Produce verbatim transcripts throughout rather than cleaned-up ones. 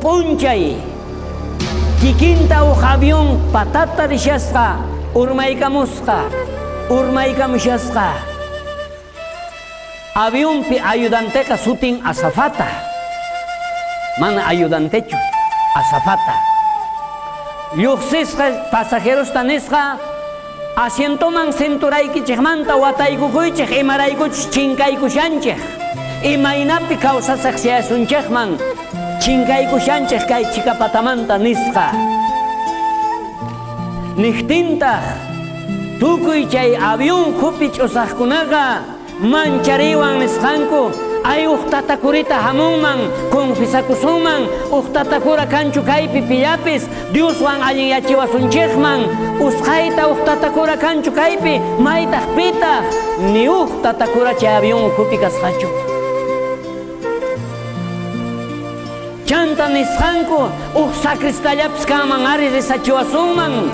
P'unchay kikinta uj avión patata rishasqa urmaykamusqa urmaykamushasqa. Avionpi ayudanteqa sutin azafata, mana ayudantechu, azafata. Lluqsisqa pasajerosta nisqa asientoman cinturaykichikmanta wataykukuychik imaraykuchus chinkaykushanchik, imaynapi kawsasaq siyasunchikman chinkaykushanchik kay chikapatamanta nisqa. Niqtintaq tukuy chay avión khupi ch'usaqkunaqa manchariwan nisqanku ay uj tatakurita hamunman confisakusunman uj tatakura kanchu kaypi pillapis Dioswan allinyachiwasunchikman usqhayta uj tatakura kanchu kaypi maytaq pitaq ni uj tatakura chay avión ukhupi kasqachu. Chanta nisqanku uj sacristallapis kanman ari risachiwasunman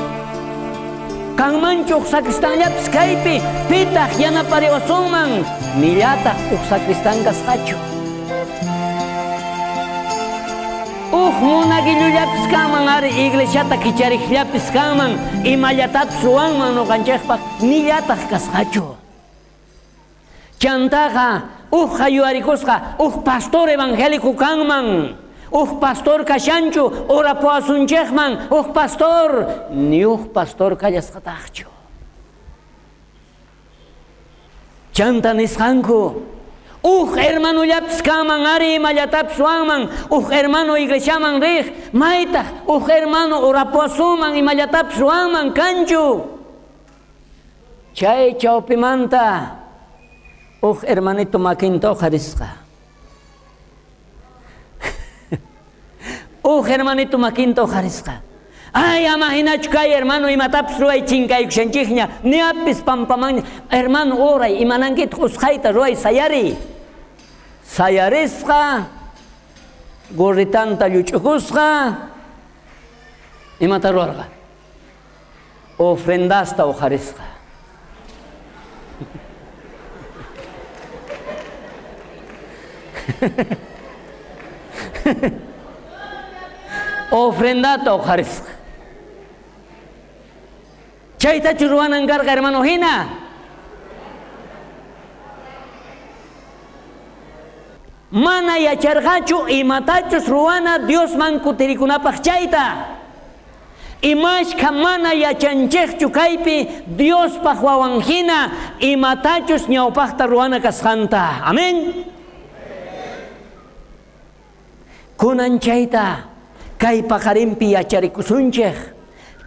kanmanchu uj sacristanllapis kaypi pitaq yanapariwasunman nillataq uj sacristan kasqachu. Uj munaguillullapis kanman ari iglesiata kichariqllapis kanman imallatapis ruwanman nuqanchikpaq nillataq kasqachu. Chantaqa uj hayuarikusqa uj pastor evangélico kanman, uj pastor kashanchu orapuwasunchikman uj pastor, ni uj pastor kallasqataqchu. Chanta nisqanku uj hermanullapis kanman ari imallatapis ruwanman uj hermano iglesiaman riq maytaq uj hermano orapuwasunman imallatapis ruwanman kanchu. Chay chawpimanta uj hermanito makinta uqharisqa. Uj hermanito makinta uqharisqa. Ay, ama hinachu kay hermano imatapis ruway chinkaykushanchikña niapis pampamanña hermano oray imanankitaq usqhayta ruway sayari. Sayarisqa gorritanta lluch'ukusqa imata ruwarqa ofrendasta uqharisqa. Ofrendata uqharisqa. Chaytachu ruwanan karqa hermano hina. Mana yacharqachu imatachus ruwana Diosman kutirikunapaq chayta. Imashka mana yachanchikchu kaypi Diospaq wawan hina imatachus ñawpaqta ruwana kasqanta. Amén. Kunan chayta kay paqarinpi yacharikusunchik.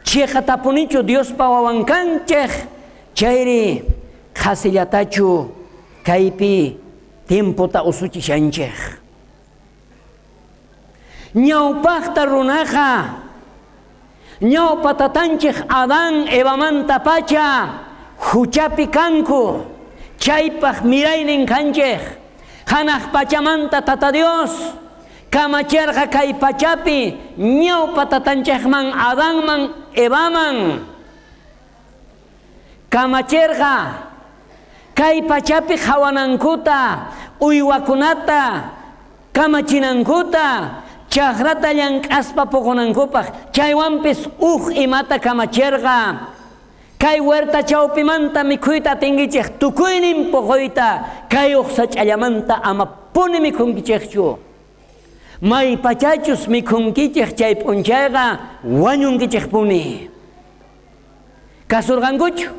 Chiqatapunichu Diospa wawan kanchik chayri qhasillatachu kaypi tiempota usuchishanchik. Ñawpaqta runaqa ñawpa tatanchik Adán Evamanta pacha huchapi kanku chaypaq miraynin kanchik. Hanaq pachamanta tata Dios kamachirqa kay pachapi ñawpa tatanchikman Adanman Evaman kamachirqa kay pachapi qhawanankuta uywakunata kamachinankuta chakrata llank'aspa puqunankupaq chaywanpis uj imata kamachirqa kay huerta chawpimanta mikhuyta atinkichik tukuynin puquyta kay uj sach'allamanta amapuni mikhunkichikchu. May pachachus mikhunkichik chay p'unchayqa wañunkichikpuni. Kasurqankuchu?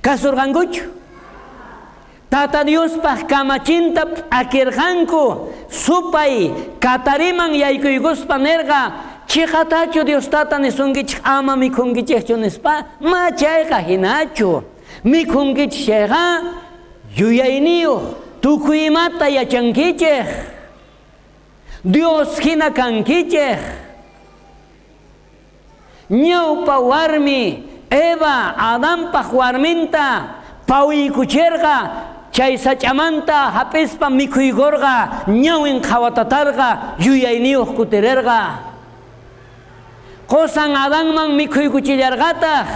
Kasurqankuchu? Tata Diospaq kamachinta p'akirqanku supay katariman yaykuykuspa nirqa chiqatachu Dios tata nisunkichik ama mikhunkichikchu nispa ma chayqa hinachu mikhunkichik chayqa yuyayniyuq tukuy imata yachankichik Dios hina kankichik. Ñawpa warmi Eva Adanpaq warminta pawiykuchirqa chay sach'amanta hap'ispa mikhuykurqa ñawin qhawatatarqa yuyayniyuq kutirerqa. Qosan Adanman mikhuykuchillarqataq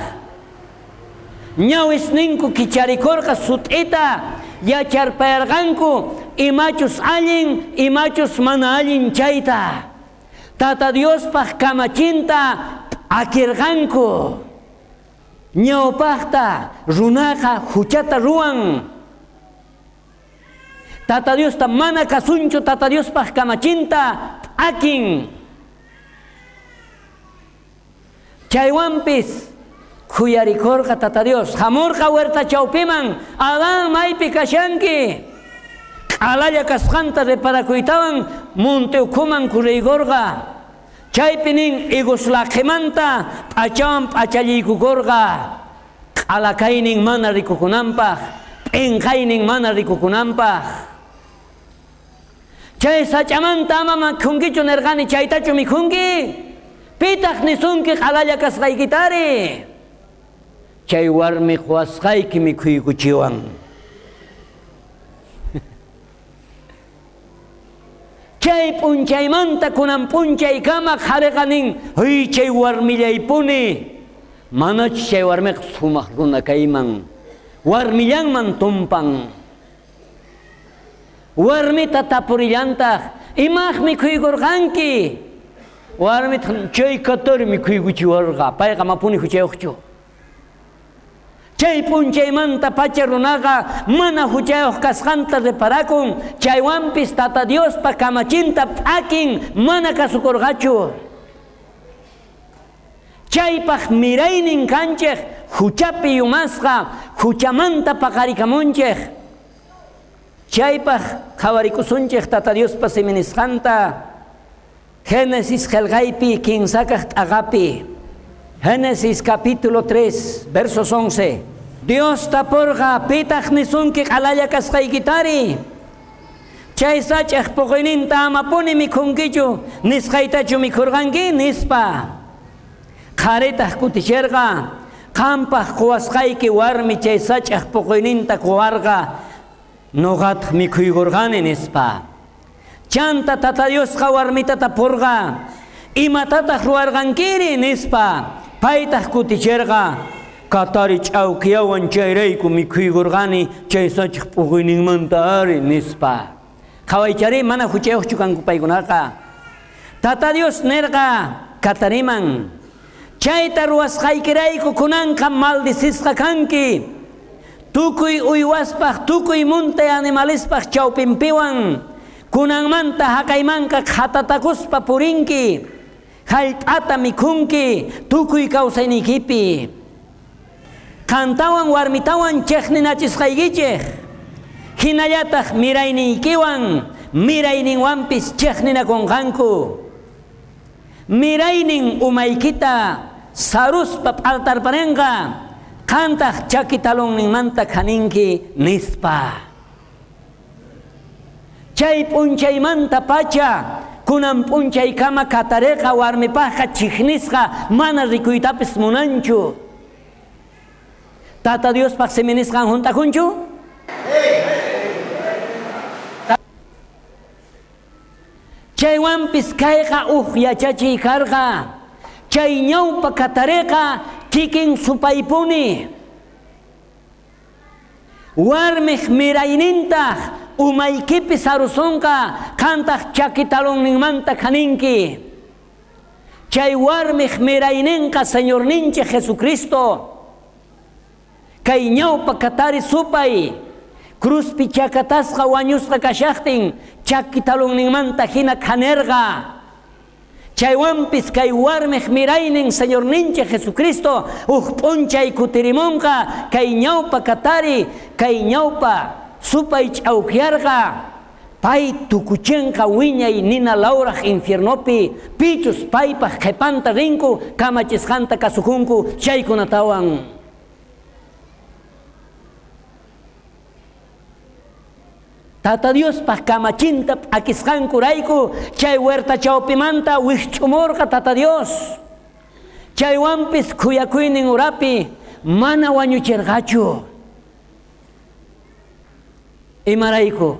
ñawisninku kicharikurqa sut'ita yacharpayarqanku imachus allin, imachus mana allin chayta. Tata Diospaj kamachinta p'akirqanku. Ñawpajta runaqa huchata ruwan. Tata Diosta mana kasunchu, Tata Diospaj kamachinta p'akin. Chaywanpis khuyarikorqa Tata Dios. Hamurqa huerta chawpiman, Adán maypi kashanki. Q'alalla kasqanta reparakuytawan monte ukhuman kuriykorqa. Chaypi nin higos laqhimanta p'achawan p'achalliykukorqa. Q'alakaynin mana rikukunanpaj, p'inqaynin mana rikukunanpaj. Chay sach'amanta ama mikhunkichu nerqani, chaytachu mikhunki? Pitaq nisunki q'alalla kasqaykitari? Chay warmi quwasqayki mikhuykuchiwan. Chay p'unchaymanta kunan p'unchaykama qhariqa nin, huy chay warmillaypuni. Manachu chay warmiqa sumaq runa kayman, warmillanman tumpan. Warmita tapurillantaq, imaj mikhuykurqanki? Warmita chay katari mikhuykuchiwarqa, payqa mapuni huchayuqchu. Chay p'unchaymanta pacha runaqa mana huchayuq kasqanta reparakun, chaywanpis Tata Diospa kamachinta p'akin, mana kasukurqachu. Chaypaj miraynin kanchej huchapi yumasqa, huchamanta paqarikamunchej. Chaypaj qhawarikusunchej Tata Diospa siminisqanta. Génesis qhelqaypi kinsakaj t'aqapi. Génesis capítulo tres, versos once. Dios taporqa, pitaq nisunki q'alalla kasqaykitari? Chay sach'aj puquyninta amapuni mikhunkichu, nisqaytachu mikhurqanki nispa. Qharitaq kuticherqa, qampaj quwasqayki warmi chay sach'aj puquyninta quwarqa, noqataq mikhuykurqani nispa. Chanta Tata Diosqa warmita tapurqa, imatataq ruwarqankiri nispa. Paytaq kuticherqa, katari ch'awkiyawan chayrayku mikhuykurqani chay sach'aj p'uquyninmanta ari nispa. Qhawaychari mana huchayuqchu kanku paykunaqa. Tata Dios nerqa katariman, chayta ruwasqaykirayku kunanqa maldicisqa kanki. Tukuy uywaspaj, tukuy munte animalespaj chawpinpiwan, kunanmanta haqaymanqa qhatatakuspa purinki. Jallp'ata mikhunki tukuy kawsayniykipi. Qantawan warmitawan chejninachisqaykichej, hinallataq mirayniykiwan mirayninwanpis chejninakunqanku. Miraynin umaykita saruspa p'altarparenqa, qantaq chaki talonninmanta khaninki nispa. Chay p'unchaymanta pacha kunan p'unchaykama katareqa warmipajqa chijnisqa mana rikuytapis munanchu. Tata Diospaj siminisqan junt'akunchu? Chaywanpis kayqa uj yachachiy karqa. Chay ñawpa katareqa kikin supaypuni. Warmij miraynintaq umaykipi sarusonqa, qantaq chaki talonninmanta khaninki. Chay warmij mirayninqa Señorninchik Jesucristo. Kay ñawpa katari supay cruzpi chakatasqa wañusqa kashaqtin chaki talonninmanta hina khanerqa. Chaywanpis kay warmij miraynin Señorninchik Jesucristo uj p'unchay kutirimunqa kay ñawpa katari, kay ñawpa supay ch'awkiyarqa. Pay tukuchenqa wiñay nina lawraj infiernopi, pichus paypaj qhipanta rinku kamachisqanta kasukunku chaykunatawan. Tata Diospaj kamachinta p'akisqankurayku chay huerta chawpimanta wijch'umurqa Tata Dios. Chaywanpis khuyakuynin urapi mana wañucherqachu. Imarayku?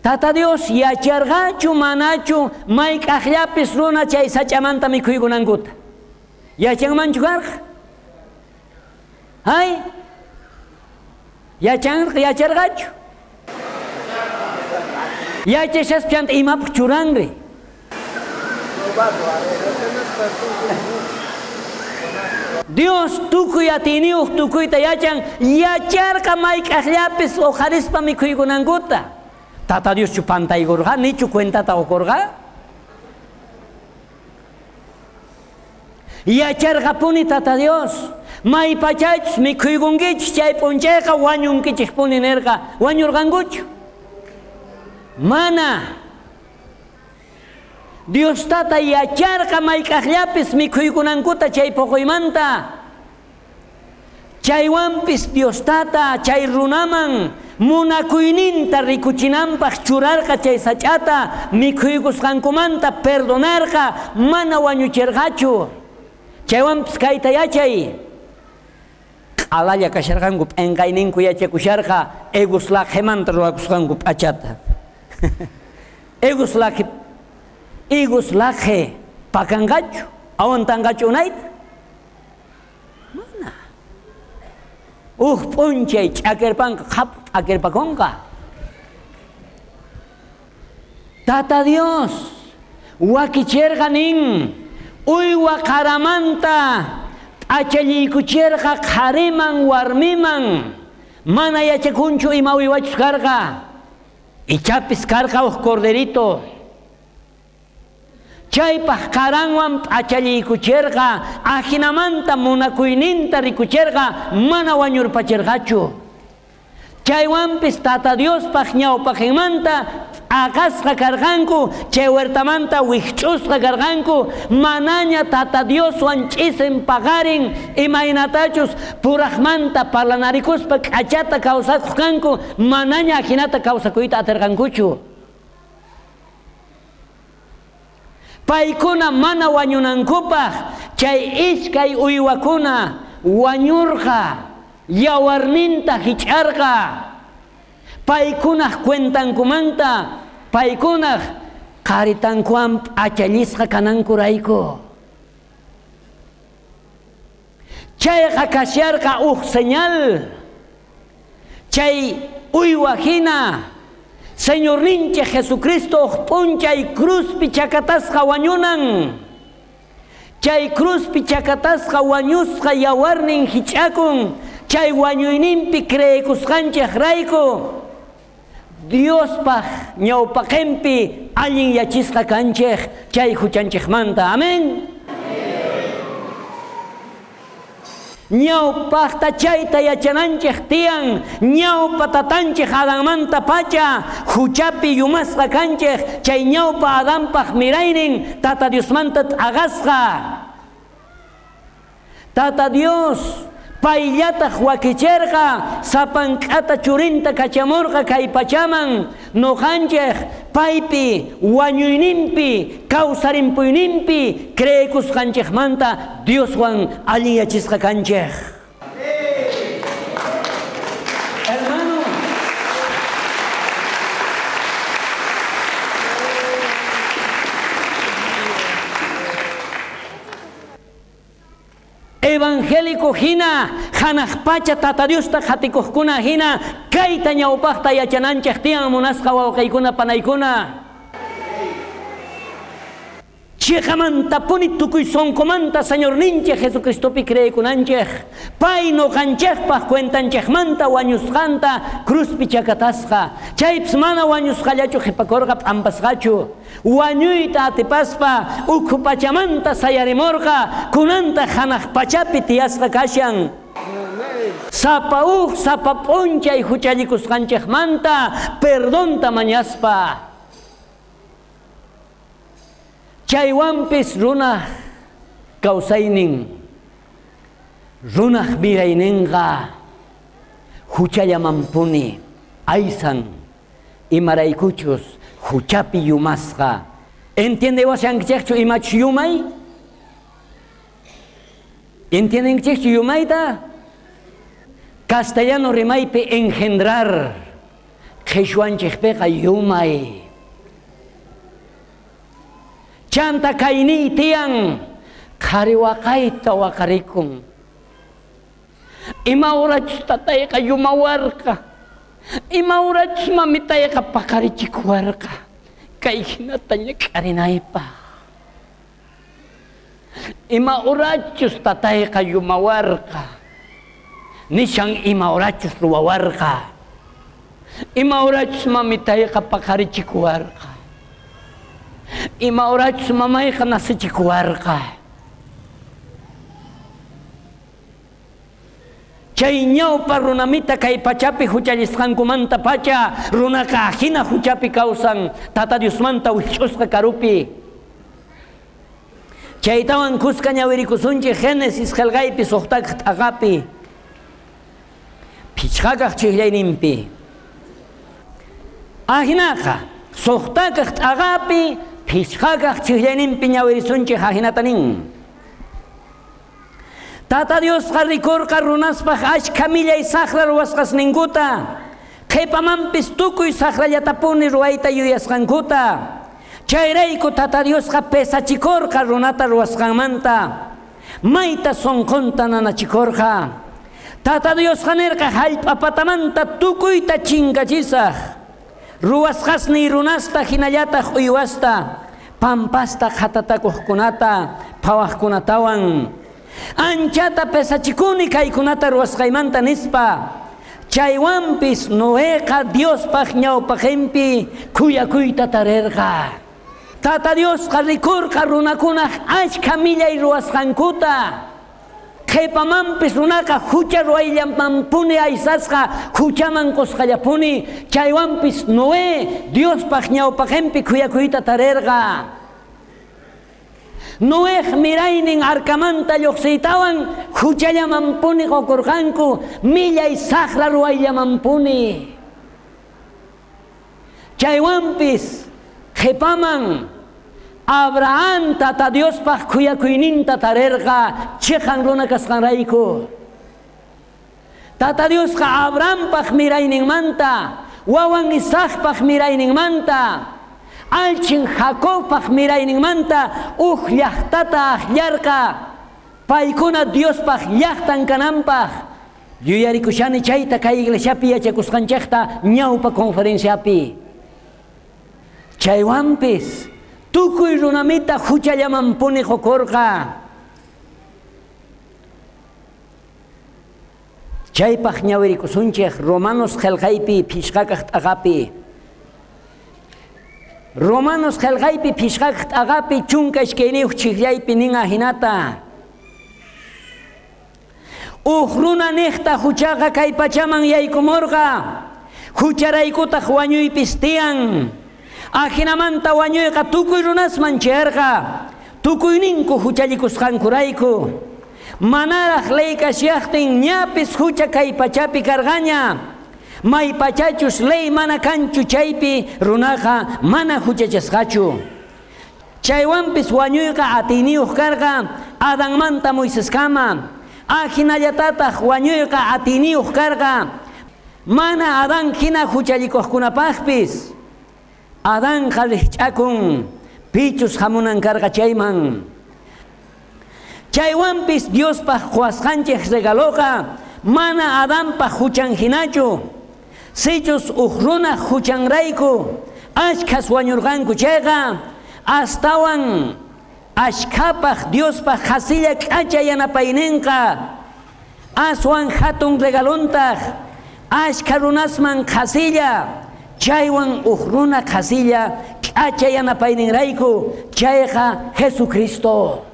Tata Dios yacharqachu manachu mayk'aqllapis runa chay sach'amanta mikhuykunankuta. Yachanmanchu karqa? Hay? Yachan, yacharqachu? Yachashaspa chanta imapaj churanri. Dios tukuy atiyniyuq tukuyta yachan, yacharqa mayk'aqllapis uqharispa mikhuykunankuta. Tata Dioschu pantaykurqa, nichu cuentata ukurqa? Yacharqapuni Tata Dios. Maypachachus mikhuykunkichis chay p'unchayqa wañunkichikpuni nirqa. Wañurqankuchu? Mana. Dios tata yacharqa mayk'aqllapis mikhuykunankuta chay puquymanta. Chaywanpis Dios tata chay runaman munakuyninta rikuchinanpaq churarqa chay sach'ata mikhuykusqankumanta perdonarqa, mana wañuchirqachu. Chaywanpis kayta yachay. Q'alalla kasharqanku p'enqayninku yachakusharqa egus laqhimanta ruwakusqanku p'achata. Egus laqhi Higos laqhi pakanqachu, awantanqachu unayta? Mana. Uj p'unchay ch'akirpanqa, qhap ch'akirpakunqa. Tata Dios wakichirqa nin, uywa qaramanta p'achalliykuchirqa qhariman warmiman, mana yachakunchu ima uywachus karqa. Ichapis karqa uj corderito. Chaypaj qaranwan p'achalliykuchirqa, ajinamanta munakuyninta rikuchirqa, mana wañurpachirqachu. Chaywanpis Tata Diospaj ñawpaqinmanta t'aqasqa karqanku, chay huertamanta wikch'usqa karqanku, manaña Tata Dioswan ch'isin paqarin, imaynatachus purajmanta parlanarikuspa k'achata kawsakuq kanku, manaña ajinata kawsakuyta atirqankuchu. Paykuna mana wañunankupaj chay iskay uywakuna wañurqa, yawarninta hich'arqa. Paykunaj cuentankumanta, paykunaj qharitankuwan p'achallisqa kanankurayku. Chayqa kasharqa uj señal. Chay uywa hina Señorninchik Jesucristo uj p'unchay cruzpi chakatasqa wañunan. Chay cruzpi chakatasqa wañusqa yawarnin hich'akun. Chay wañuyninpi creekusqanchik rayku Diospaj ñawpaqinpi allin yachisqa kanchik chay huchanchikmanta. Amén. Ñawpaqta chayta yachananchik tiyan, ñawpa tatanchik Adanmanta pacha huchapi yumasqa kanchik, chay ñawpa Adanpaq miraynin Tata Diosmanta t'aqasqa. Tata Dios payllataq wakichirqa, sapank'ata churinta kachamurqa kay pachaman, nuqanchik paypi wañuyninpi kawsarimpuyninpi creekusqanchikmanta Dioswan allin yachisqa kanchik. Hermano, evangélico hina, hanaq pacha Tata Diosta qhatikuqkuna hina, kayta ñawpaqta yachananchik tiyan munasqa wawqiykuna panaykuna. Chiqamantapuni tukuy sunqumanta Señorninchik Jesucristopi creekunanchik, pay nuqanchikpaq cuentanchikmanta wañusqanta cruzpi chakatasqa. Chaypis mana wañusqallachu qhipakurqa p'ampasqachu. Wañuyta atipaspa ukhu pachamanta sayarimurqa, kunanta hanaq pachapi tiyasqa kashan. Sapa uj sapa p'unchay huchallikusqanchikmanta perdonta mañaspa. Chaywanpis runaj kawsaynin, runaj mirayninqa huchallamanpuni aysan, imaraykuchus huchapi yumasqa. Entiendewashankichikchu imachus yumay? Entiendenkichikchu yumayta? Castellano rimaypi engendrar, qhichwanchikpiqa yumay. Chanta kayniy tiyan, qhari waqayta waqarikun. Ima horachus tatayqa yumawarqa. Ima horachus mamitayqa paqarichikuwarqa kay hinata ñak'arinaypaq. Ima horachus tatayqa yumawarqa. Nishan ima horachus ruwawarqa. Ima horachus mamitayqa paqarichikuwarqa. Ima horachus mamayqa nasichikuwarqa. Chay ñawpa runamita kay pachapi huchallisqankumanta pacha runaqa hina huchapi kawsan Tata Diosmanta wikch'usqa karupi. Chaytawan kuska ñawirikusunchik Génesis qillqaypi suqtakaq t'aqapi phichqakaq chiqllayninpi. Ajinaqa suqtakaq t'aqapi phichqakaq chiqllayninpi ñawirisunchik ajinata nin. Tata Diosqa rikurqa runaspaq achka millay saqra ruwasqasninkuta, qhipamanpis tukuy saqrallatapuni ruwayta yuyasqankuta. Chayrayku Tata Diosqa pesachikurqa runata ruwasqanmanta, mayta sunqunta nanachikurqa. Tata Diosqa nirqa hallp'apatamanta tukuyta chinkachisaq, ruwasqasniy runasta hinallataq uywasta, pampasta qhatatakuqkunata, phawaqkunatawan. Anchata pesachikuni kaykunata ruwasqaymanta nispa. Chaywanpis Noeqa Diospaq ñawpaqinpi khuyakuyta tarirqa. Tata Diosqa rikurqa runakunaq achka millay ruwasqankuta. Qhipamanpis runaqa hucha ruwayllamanpuni aysasqa huchaman qusqallapuni. Chaywanpis Noé Diospaq ñawpaqinpi khuyakuyta tarirqa. Noej miraynin arkamanta lluqsiytawan huchallamanpuni qukurqanku millay saqra ruwayllamanpuni. Chaywanpis qhipaman Abraham Tata Diospaq khuyakuyninta tarirqa chiqan runa kasqanrayku. Tata Diosqa Abrahampaq mirayninmanta, wawan Isaacpaq mirayninmanta, alchin Jacobpaq mirayninmanta uj llaqtata aqllarqa paykuna Diospaq llaqtan kananpaq. Yuyarikushani chayta kay iglesiapi yachakusqanchikta ñawpa conferenciapi. Chaywanpis tukuy runamita huchallamanpuni qukurqa. Chaypaq ñawirikusunchik Romanos qillqaypi phishqakaq t'aqapi. Romanos qillqaypi phishqakaq t'aqapi chunka iskayniyuq chiqllaypi nin ajinata. Uj runa niqta huchaqa kay pachaman yaykumurqa, hucharaykutaq wañuypis tiyan. Ajinamanta wañuyqa tukuy runasman chayarqa, tukuyninku huchallikusqankurayku. Manaraq ley kashaqtin ñapis hucha kay pachapi karqaña. May pachachus ley mana kanchu chaypi runaqa mana huchachasqachu. Chaywanpis wañuyqa atiyniyuq karqa Adanmanta Moiseskama. Ajinallatataq wañuyqa atiyniyuq karqa mana Adán hina huchallikuqkunapaqpis. Adanqa riqch'akun pichus hamunan karqa chayman. Chaywanpis Diospaq quwasqanchik regaloqa mana Adanpaq huchan hinachu. Sichus uj runaq huchanrayku achkhas wañurqanku chayqa astawan achkhapaq Diospaq qhasilla k'acha yanapayninqa aswan hatun regalontaq achkha runasman qhasilla chaywan uj runa qhasilla k'acha yanapayninrayku chayqa Jesucristo.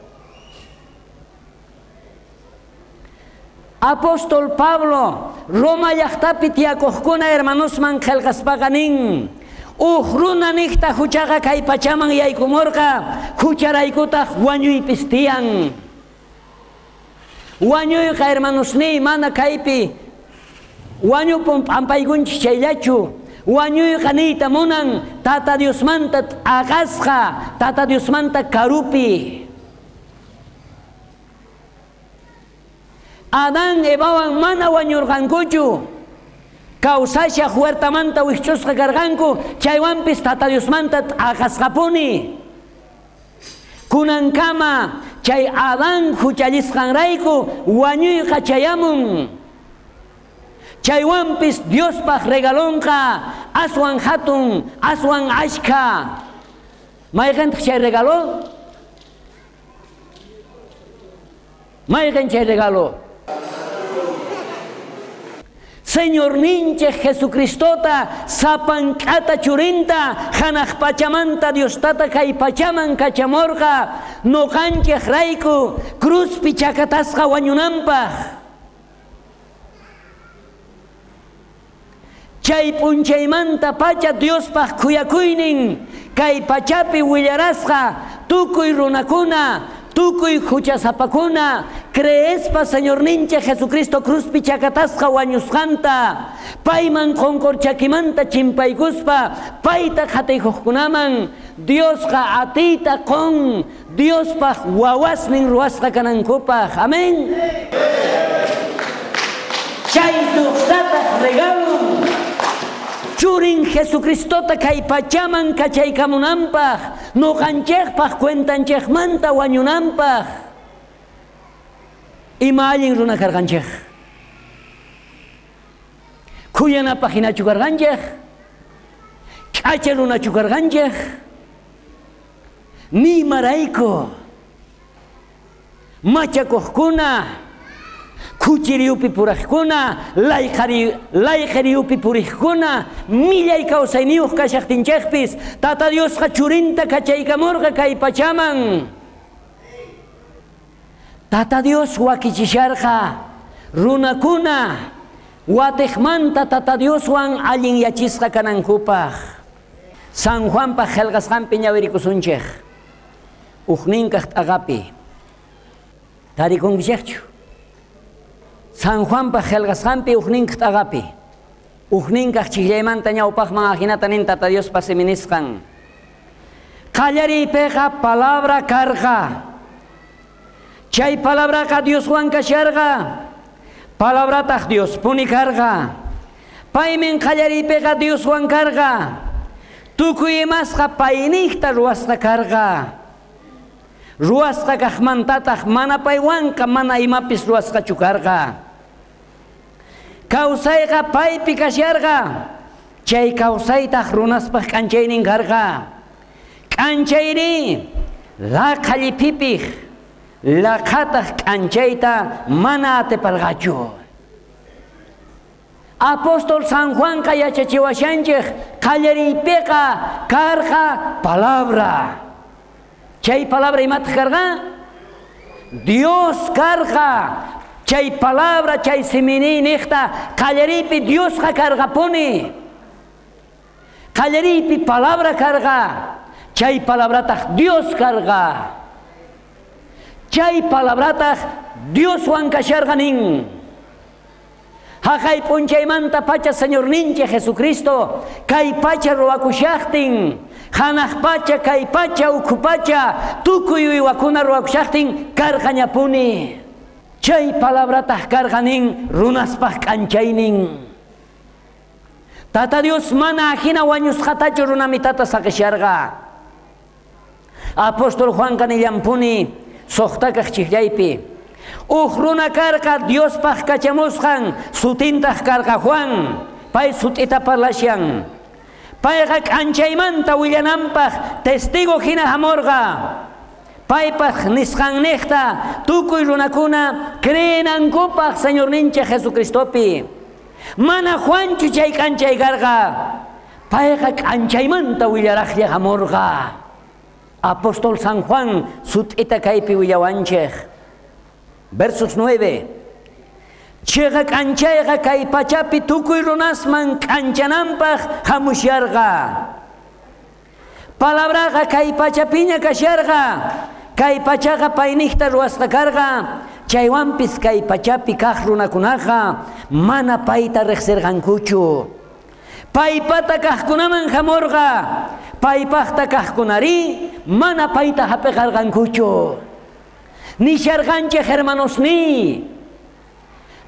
Apóstol Pablo Roma llaqtapi tiyakuqkuna hermanosman qillqaspaqa nin uj runa niqta huchaqa kay pachaman yaykumurqa hucharaykutaq wañuypis tiyan. Wañuyqa hermanosniy mana kaypi wañupun p'ampaykunchik chayllachu. Wañuyqa niyta munan Tata Diosmanta t'aqasqa, Tata Diosmanta karupi. Adán Evawan mana wañurqankuchu, kawsashaq huertamanta wikch'usqa karqanku, chaywanpis Tata Diosmanta t'aqasqapuni. Kunankama chay Adán huchallisqanrayku wañuyqa chayamun. Chaywanpis Diospaj regalonqa aswan hatun, aswan ashkha. Mayqintaq chay regalo? Mayqin chay regalo? Señorninchej Jesucristota sapank'ata churinta hanaq pachamanta Diostata kay pachaman kachamorqa noqanchej rayku cruzpi chakatasqa wañunanpaj. Chay p'unchaymanta pacha Diospaj khuyakuynin kay pachapi willarasqa tukuy runakuna, tukuy huchasapakuna, creespa Señorninchej Jesucristo cruzpi chakatasqa wañusqanta, payman qonqorchakimanta chimpaykuspa, payta qhatiykuqkunaman Diosqa atiyta qon, Diospaj wawasnin ruwasqa kanankupaj. Amén. Chay Diostataq regalon churin Jesucristota kay pachaman kachaykamunanpaj, noqanchejpaj cuentanchejmanta wañunanpaj. Ima allin runa karqanchej? Khuyanapaj hinachu karqanchej? K'acha runachu karqanchej? Nimarayku machakuqkuna, khuchiriyupi purajkuna, layqariyupi puriqkuna, millay kawsayniyuq kashaqtinchejpis, Tata Diosqa churinta kachaykamurqa kay pachaman. Tata Dios wakichisharqa runakuna watejmanta Tata Dioswan allinyachisqa kanankupaj. San Juanpaj qhelqasqanpi ñawirikusunchej. Ujninkaj t'aqapi. Tarikunkichejchu? San Juanpaj qhelqasqanpi ujninkaj t'aqapi. Ujninkaj chijllaymanta ñawpajman ajinata nin Tata Diospa siminisqan. Qallariypiqa palabra karqa. Chay palabraqa Dioswan kasharqa. Palabrataq Diospuni karqa. Paymin qallariypiqa Dioswan karqa. Tukuy imasqa payniqta ruwasqa karqa. Ruwasqa kaqmantataq mana paywanqa mana imapis ruwasqachu karqa. Kawsayqa paypi kasharqa. Chay kawsaytaq runaspaq k'anchaynin karqa. K'anchayri laqha lliphipij, laqhataq k'anchayta mana atiparqachu. Apóstol San Juanqa yachachiwashanchej qallariypiqa karqa palabra. Chay palabra imataq karqa? Dios karqa. Chay palabra, chay simini niqta qallariypi Diosqa karqapuni. Qallariypi palabra karqa. Chay palabrataq Dios karqa. Chay palabrataq Dioswan kasharqa nin. Haqay p'unchaymanta pacha Señorninchej Jesucristo kay pacha ruwakushaqtin, hanaq pacha, kay pacha, ukhu pacha, tukuy uywakuna ruwakushaqtin karqañapuni. Chay palabrataq karqa nin runaspaj k'anchaynin. Tata Dios mana ajina wañusqatachu runamitata saqisharqa. Apóstol Juanqa nillanpuni suqtakaq chijllaypi. Uj runa karqa Diospaj kachamusqan, sutintaq karqa Juan, pay sut'ita parlashan. Payqa k'anchaymanta willananpaj testigo hina hamurqa. Paypaj nisqanniqta tukuy runakuna creenankupaj Señorninchej Jesucristopi. Mana Juanchu chay k'anchay karqa. Payqa k'anchaymanta willaraqlla hamurqa. Apóstol San Juan sut'ita kaypi willawanchej. Versos nueve. Chiqa k'anchayqa kay pachapi tukuy runasman k'anchananpaj hamusharqa. Palabraqa kay pachapiña kasharqa. Kay pachaqa payniqta ruwasqa karqa. Chaywanpis kay pachapi kaq runakunaqa mana payta riqsirqankuchu. Paypata kaqkunaman hamurqa. Paypaqta kaqkunari mana payta hapiqarqankuchu. Nisharqanchej hermanosni.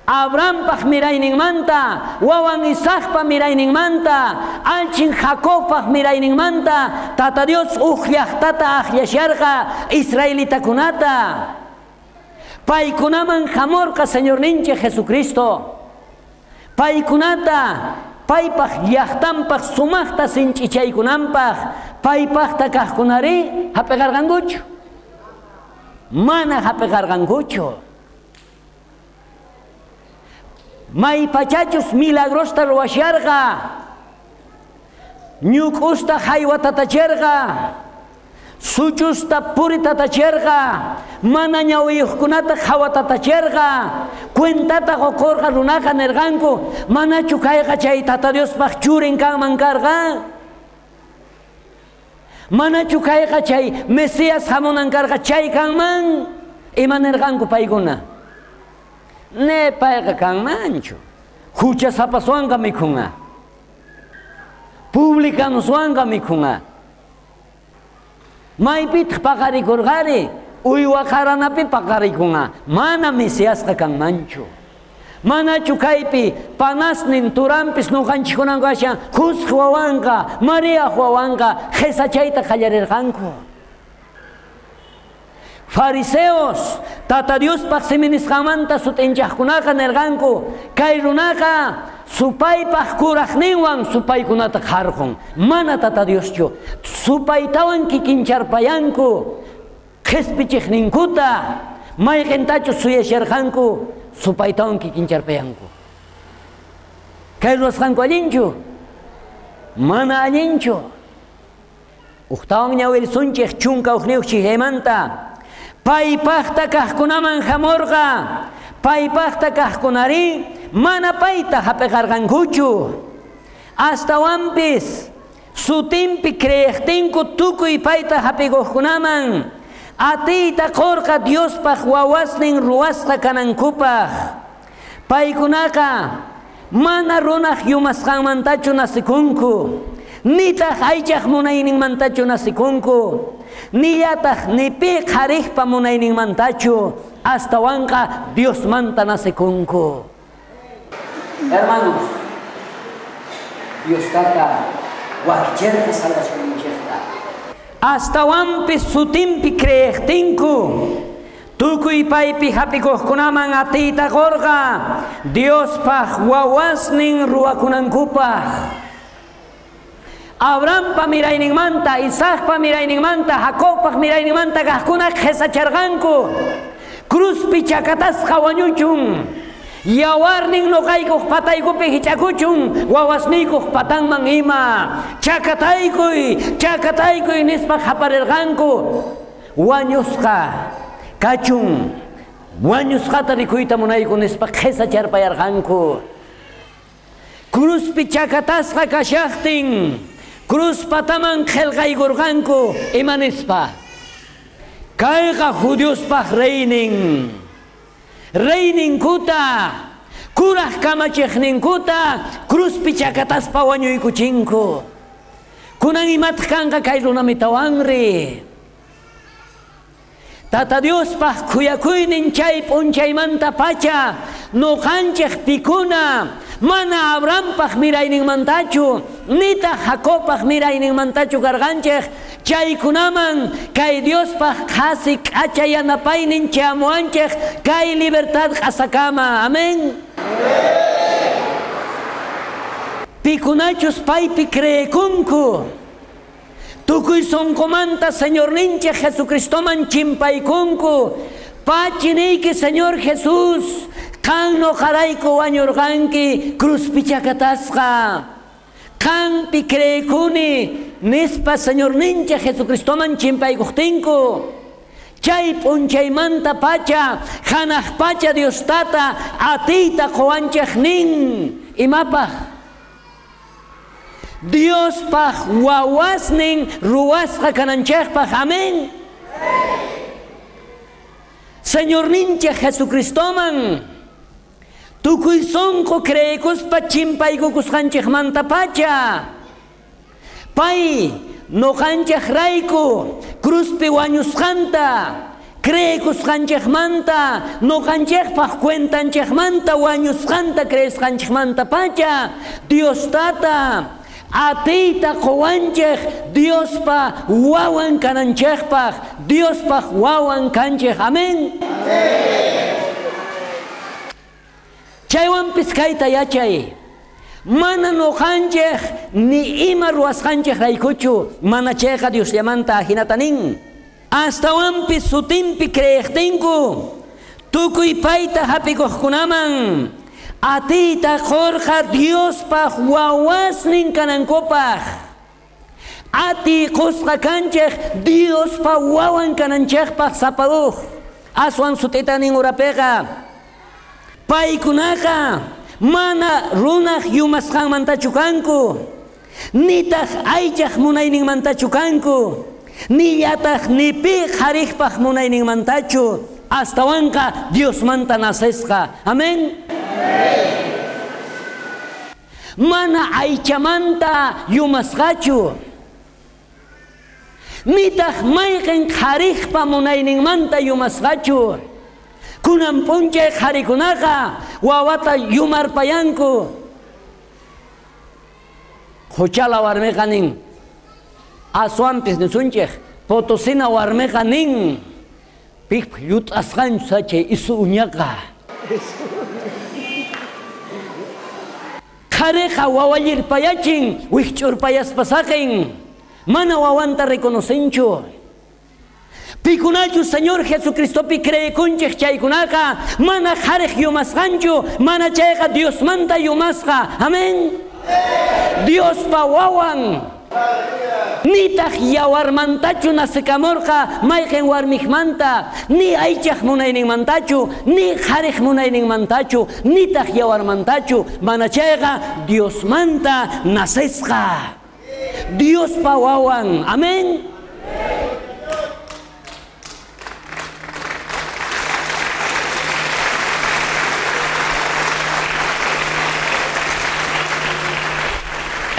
Abrahampaj mirayninmanta, wawan Isaacpa mirayninmanta, alchin Jacobpaj mirayninmanta, Tata Dios uj llaqtata aqllasharqa israelitakunata. Paykunaman hamurqa Señorninchej Jesucristo. Paykunata paypaj llaqtanpaj sumaqta sinch'ichaykunanpaj paypajta kaqkunari hap'iqarqankuchu. Mana hap'iqarqankuchu. Maypachachus milagrosta ruwasharqa, ñuk'usta haywatatachirqa, suchusta puritatachirqa, mana ñawiyuqkunata qhawatatachirqa, cuentata qukurqa runaqa nirqanku, manachu kayqa chay Tata Diospaq churin kanman karqa? Manachu kayqa chay Mesías hamunan karqa chay kanman? Ima nirqanku paykuna? Ne payqa kanmanchu. Huchasapaswanqa mikhunqa. Publicanoswanqa mikhunqa. Maypitaq paqarikurqari, uywa qaranapi paqarikunqa. Mana Mesiasqa kanmanchu. Manachu kaypi panasnin turanpis nuqanchikkunanku ashan Jusq wawanqa, María wawanqa qhisachayta qallarirqanku. Fariseos, Tata Diospaq siminisqanmanta sut'inchaqkunaqa nirqanku, kay runaqa supaypaq kuraqninwan supaykunata qharqun. Mana Tata Dioschu. Supaytawan kikincharpayanku, qhispichiqninkuta, mayqintachu suyasharqanku, supaytawan kikincharpayanku. Kay ruwasqanku allinchu? Mana allinchu. Ujtawan ñawirisunchik chunka ujniyuq chiqaymanta. Paypajta kaqkunaman hamurqa, paypajta kaqkunari mana payta hap'iqarqankuchu. Astawanpis sutinpi creeqtinku tukuy payta hap'ikuqkunaman atiyta qurqa Diospaq wawasnin ruwasqa kanankupaq. Paykunaqa mana runaq yumasqanmantachu nasikunku, nitaq aychaq munayninmantachu nasikunku, nillataq ni pi qhariqpa munayninmantachu, astawanqa Diosmanta nasikunku. Hermanos, Dios tata wakicherqa salvacionninchikta. Astawanpis sutinpi creeqtinku, tukuy paypi hap'ikuqkunaman atiyta qurqa Diospaq wawasnin ruwakunankupaq. Abrahampa mirayninmanta, Isaacpa mirayninmanta, Jacobpa mirayninmanta kaqkuna qhisacharqanku. Cruzpi chakatasqa wañuchun, yawarnin nuqaykuq pataykupi hich'akuchun, wawasniykuq patanman ima. Chakataykuy, chakataykuy nispa qaparirqanku. Wañusqa kachun, wañusqata rikuyta munayku nispa qhisacharpayarqanku. Cruzpi chakatasqa kashaqtin, cruz pataman qillqaykurqanku ima nispa? Kayqa judiospaq reynin. Reyninkuta, kuraq kamachiqninkuta cruzpi chakataspa wañuykuchinku. Kunan imataq kanqa kay runamitawanri? Tata Diospaq khuyakuynin chay p'unchaymanta pacha nuqanchik pikuna mana Abrahampaq mirayninmantachu, nitaq Jacobpaq mirayninmantachu karqanchik, chaykunaman kay Diospaq qhasi k'acha yanapaynin chamuanchik kay libertad q'asakama. Amén. Pikunachus paypi creekunku, tukuy sonqomanta Señorninchik Jesucristoman chimpaykunku. Pachiniyki Señor Jesús, qan nuqarayku wañurqanki cruzpi chakatasqa. Qanpi creekuni nispa Señorninchik Jesucristoman chimpaykuqtinku. Chay p'unchaymanta pacha hanaq pacha Dios tata atiyta quwanchik nin. Imapaq? Diospaq wawasnin ruwasqa kananchikpaq. Amén. Señorninchik Jesucristoman tukuy sonqo creekuspa chimpaykukusqanchikmanta pacha pay nuqanchik rayku cruzpi wañusqanta creekusqanchikmanta nuqanchikpaq cuentanchikmanta wañusqanta creesqanchikmanta pacha Dios tata atiyta quwanchik Diospa wawan kananchikpaq, Diospaq wawan kanchik. Amén. Chaywanpis kayta yachay. Mana noqanchej ni ima ruwasqanchej raykuchu, mana chayqa Diosllamanta ajinata nin. Astawanpis sutinpi creejtinku, tukuy payta hap'ikuqkunaman atiyta qurqa Diospaj wawasnin kanankupaj. Atiy qusqa kanchej Diospa wawan kananchejpaj sapa uj. Aswan sut'ita nin urapiqa. Paykunaqa mana runaj yumasqanmantachu kanku, nitaq aychaj munayninmantachu kanku, nillataj ni pi qharejpaj munayninmantachu, astawanqa Diosmanta nacesqa. Amén. Mana aychamanta yumasqachu, nitaq mayqin qharejpa munayninmanta yumasqachu. Kunan p'unchay qharikunaqa wawata yumarpayanku. Quchala warmiqa nin, aswanpis nisunchej, Potosina warmiqa nin, pijpaj llut'asqanchu sachay isu uñaqa. Qhariqa wawallirpayachin, wijch'urpayaspa saqin, mana wawanta reconocenchu. Pikunachu Señor Jesucristopi creekunchej chaykunaqa, mana qharej yumasqanchu, mana chayqa Diosmanta yumasqa. Amén. Diospa wawan. Nitaq yawarmantachu nacekamurqa mayqin warmijmanta, ni aychaj munayninmantachu, ni qharej munayninmantachu, nitaq yawarmantachu, mana chayqa Diosmanta nacesqa. Diospa wawan. Amén.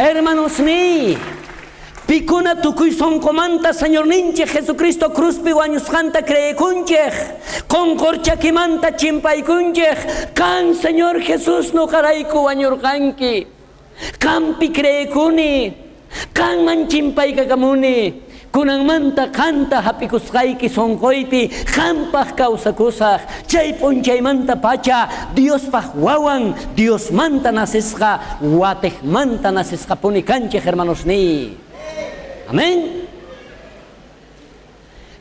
Hermanos mi, pikuna tukuy sonqomanta Señorninchej Jesucristo cruzpi wañusqanta creekunchej, qonqorchakimanta chimpaykunchej, kan Señor Jesús noqarayku wañurqanki, qampi creekuni, qanman chimpaykakamuni, kunanmanta qanta hap'ikusqayki sonqoypi, qampaj kawsakusaj, chay p'unchaymanta pacha Diospaj wawan, Diosmanta nacesqa, watejmanta nacesqapuni kanchej, hermanos ni. Amén.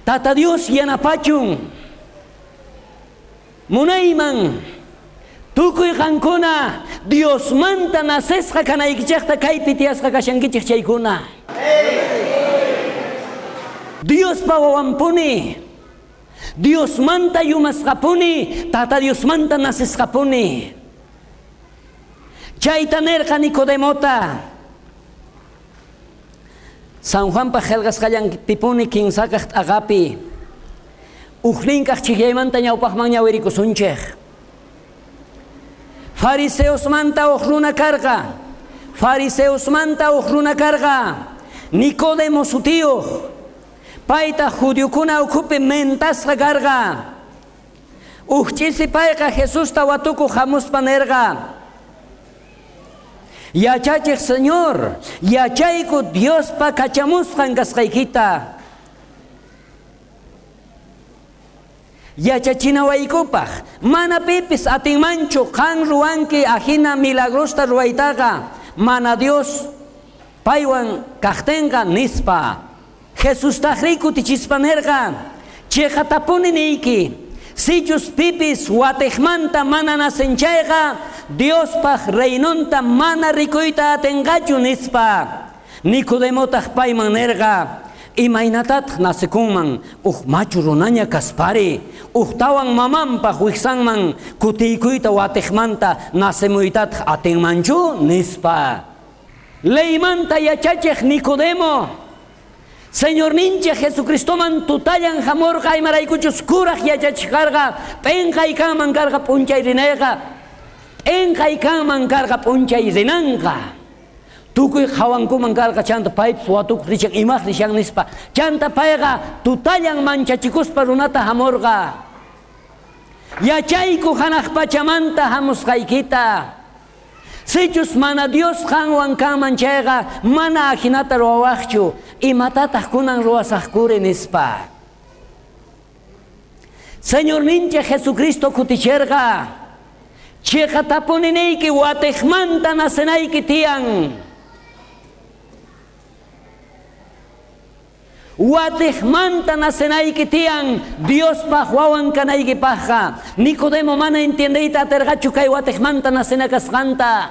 Tata Dios yanapachun, munayman tukuy qankuna Diosmanta nacesqa kanaykichejta kaypi tiyasqa kashankichej chaykuna. Diospa wawanpuni, Diosmanta yumasqapuni, Tata Diosmanta nacesqapuni. Chayta nerqa Nicodemota. San Juanpa qillqasqallanpipuni kinsakaq t'aqapi, ujninkaq chhiqllaymanta ñawpaqman ñawirikusunchej. Fariseosmanta uj runa karqa, fariseosmanta uj runa karqa, Nicodemo sutiyuq. Payta judiokuna ukhupi mentasqa karqa. Uj ch'isi payqa Jesusta watukuq hamuspa nerqa: Yachachej Señor, yachayku Diospa kachamusqan kasqaykita. Yachachinawaykupaj, mana pipis atinmanchu qan ruwanki ajina milagrosta ruwaytaqa, mana Dios paywan kajtenqa nispa. Jesús tajri kutichispa nerqa: Chiqatapuni niyki, sichus pipis watejmanta mana nacenchayqa, Diospaj reinonta mana rikuyta atenqachu nispa. Nicodemotaq payman nerqa: Imaynatataq nacekunman uj machu runaña kaspari, ujtawan mamanpaj wijsanman kutiykuyta watejmanta nacemuytataq atinmanchu nispa. Leymanta yachachej Nicodemo, Señorninchej Jesucristoman tutallan hamurqa, imaraykuchus kuraj yachachej karqa, p'inqay kanman karqa p'unchay rinayqa, p'inqay kanman karqa p'unchay rinanqa. Tukuy qhawankuman karqa chanta paypis watukuq richan imaj rishan nispa. Chanta payqa tutallan manchachikuspa runata hamurqa. Yachayku hanaq pachamanta hamusqaykita. Sichus mana Dios qanwan kanman chayqa, mana ajinata ruwawaqchu, imatataq kunan ruwasaqkuri nispa. Señorninchej Jesucristo kuticherqa: Chiqatapuni niyki watiqmanta nacenayki tiyan. Watiqmanta nacenayki tiyan Diospaj wawan kanaykipajqa. Nicodemo mana entiendeyta aterqachu kay watiqmanta nacena kasqanta.